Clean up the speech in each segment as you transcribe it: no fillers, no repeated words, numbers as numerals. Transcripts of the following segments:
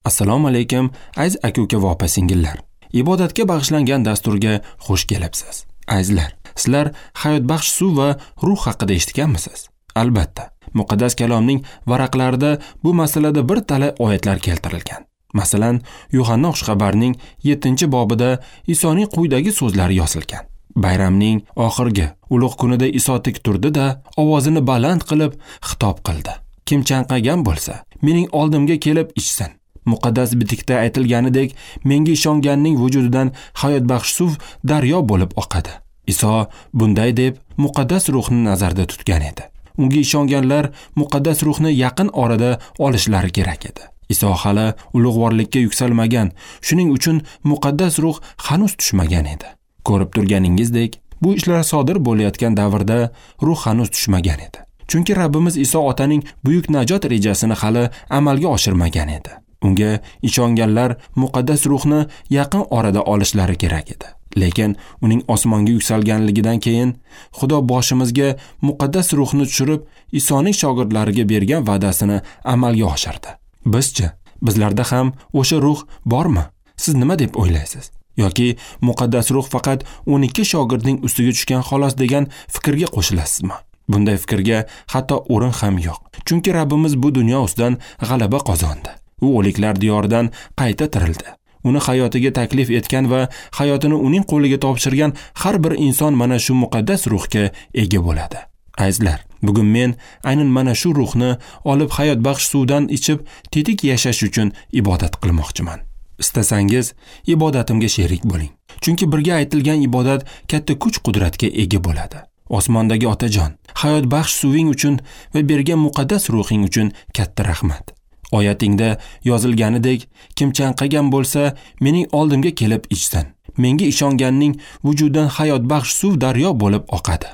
Assalomu alaykum, aziz aka-uka va opa-singillar. Ibodatga bag'ishlangan dasturga xush kelibsiz. Azizlar, sizlar hayotbaxsh suv va ruh haqida eshitganmisiz? Albatta, muqaddas kalomning varaqlarida bu masalada bir talay oyatlar keltirilgan. Masalan, Yuhanna xushxabarning 7-bobida Isoning quyidagi so'zlari yozilgan. Bayramning oxirgi ulug' kunida Iso tik turdi-da, ovozini baland qilib xitob qildi. Kim chanqagan bo'lsa, mening oldimga kelib ichsin. Muqaddas bitikda aytilganidek, menga ishonganning vujudidan hayotbaxsh suv daryo bo'lib oqadi. Iso bunday deb muqaddas ruhni nazarda tutgan edi. Unga ishonganlar muqaddas ruhni yaqin orada olishlari kerak edi. Iso hali ulug'vorlikka yuksalmagan, shuning uchun muqaddas ruh hanuz tushmagan edi. Ko'rib turganingizdek, bu ishlar sodir bo'layotgan davrda ruh hanuz tushmagan edi. Chunki Rabbimiz Iso otaning buyuk najot rejasini hali amalga oshirmagan edi. Unga ishonganlar muqaddas ruhni yaqin orada olishlari kerak edi. Lekin uning osmonga yuksalganligidan keyin Xudo boshimizga muqaddas ruhni tushirib, Isoning shogirdlariga bergan va'dasini amalga oshirdi. Bizchi, bizlarda ham o'sha ruh bormi? Siz nima deb o'ylaysiz? Yoki muqaddas ruh faqat 12 shogirdning ustiga tushgan xolos degan fikrga qo'shilasizmi? Bunday fikrga hatto o'rin ham yo'q. Chunki Rabbimiz bu dunyo ustidan g'alaba qozondi. U o'liklar diyoridan qayta tirildi. Uni hayotiga taklif etgan va hayotini uning qo'liga topshirgan har bir inson mana shu muqaddas ruhga ega bo'ladi. Azizlar, bugun men aynan mana shu ruhni olib hayotbaxsh suvdan ichib tetik yashash uchun ibodat qilmoqchiman. Istasangiz ibodatimga sherik bo'ling. Chunki birga aytilgan ibodat katta kuch-qudratga ega bo'ladi. Osmondagi Otajon, hayotbaxsh suving uchun va bergan muqaddas ruhing uchun katta rahmat. Oyatingda yozilganidek, kim chanqagan bo'lsa, mening oldimga kelib ichsin. Menga ishonganning vujudidan hayotbaxsh suv daryo bo'lib oqadi.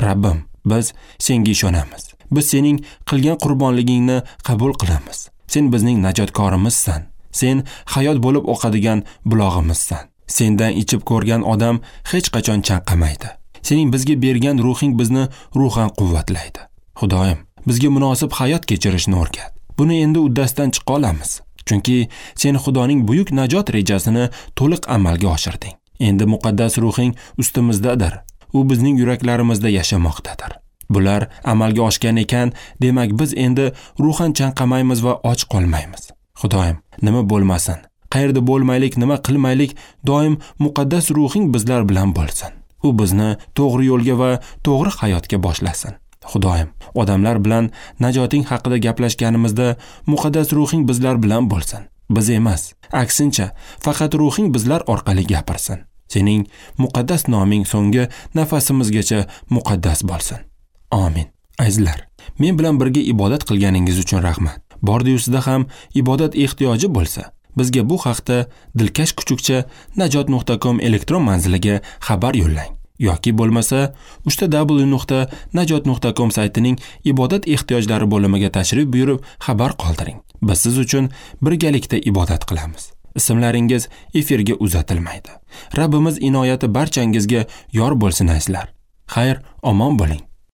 Rabbim, biz senga ishonamiz. Biz sening qilgan qurbonligingni qabul qilamiz. Sen bizning najotkorimizsan. Sen hayot bo'lib oqadigan bulog'imizsan. Sendan ichib ko'rgan odam hech qachon chanqamaydi. Sening bizga bergan ruhing bizni ruhan quvvatlaydi. Xudoyim, bizga munosib hayot kechirishni o'rgat. Buni endi uddasidan chiqa olamiz. Chunki sen Xudoning buyuk najot rejasini to'liq amalga oshirding. Endi muqaddas ruhing ustimizdadir. U bizning yuraklarimizda yashamoqdadir. Bular amalga oshgan ekan, demak biz endi ruhan chanqamaymiz va och qolmaymiz. Xudoyim, nima bo'lmasin, qayerda bo'lmaylik, nima qilmaylik, doim muqaddas ruhing bizlar bilan bo'lsin. U bizni to'g'ri yo'lga va to'g'ri hayotga boshlasin. Xudoyim, odamlar bilan najoting haqida gaplashganimizda muqaddas ruhing bizlar bilan bo'lsin. Biz emas, aksincha, faqat ruhing bizlar orqali gapirsin. Sening muqaddas noming so'nggi nafasimizgacha muqaddas bo'lsin. Amin. Azizlar, men bilan birga ibodat qilganingiz uchun rahmat. Bordi-yu sizda ham ibodat ehtiyoji bo'lsa, bizga bu haqda dilkash kuchukcha najot.com elektron manziliga xabar yo'llang. Yoki bo'lmasa www.najot.com saytining ibodat ehtiyojlari bo'limiga tashrif buyurib xabar qoldiring. Biz siz uchun birgalikda ibodat qilamiz. Ismlaringiz efirga uzatilmaydi. Rabbimiz inoyati barchangizga yor bo'lsin azizlar. Xayr, omon bo'ling.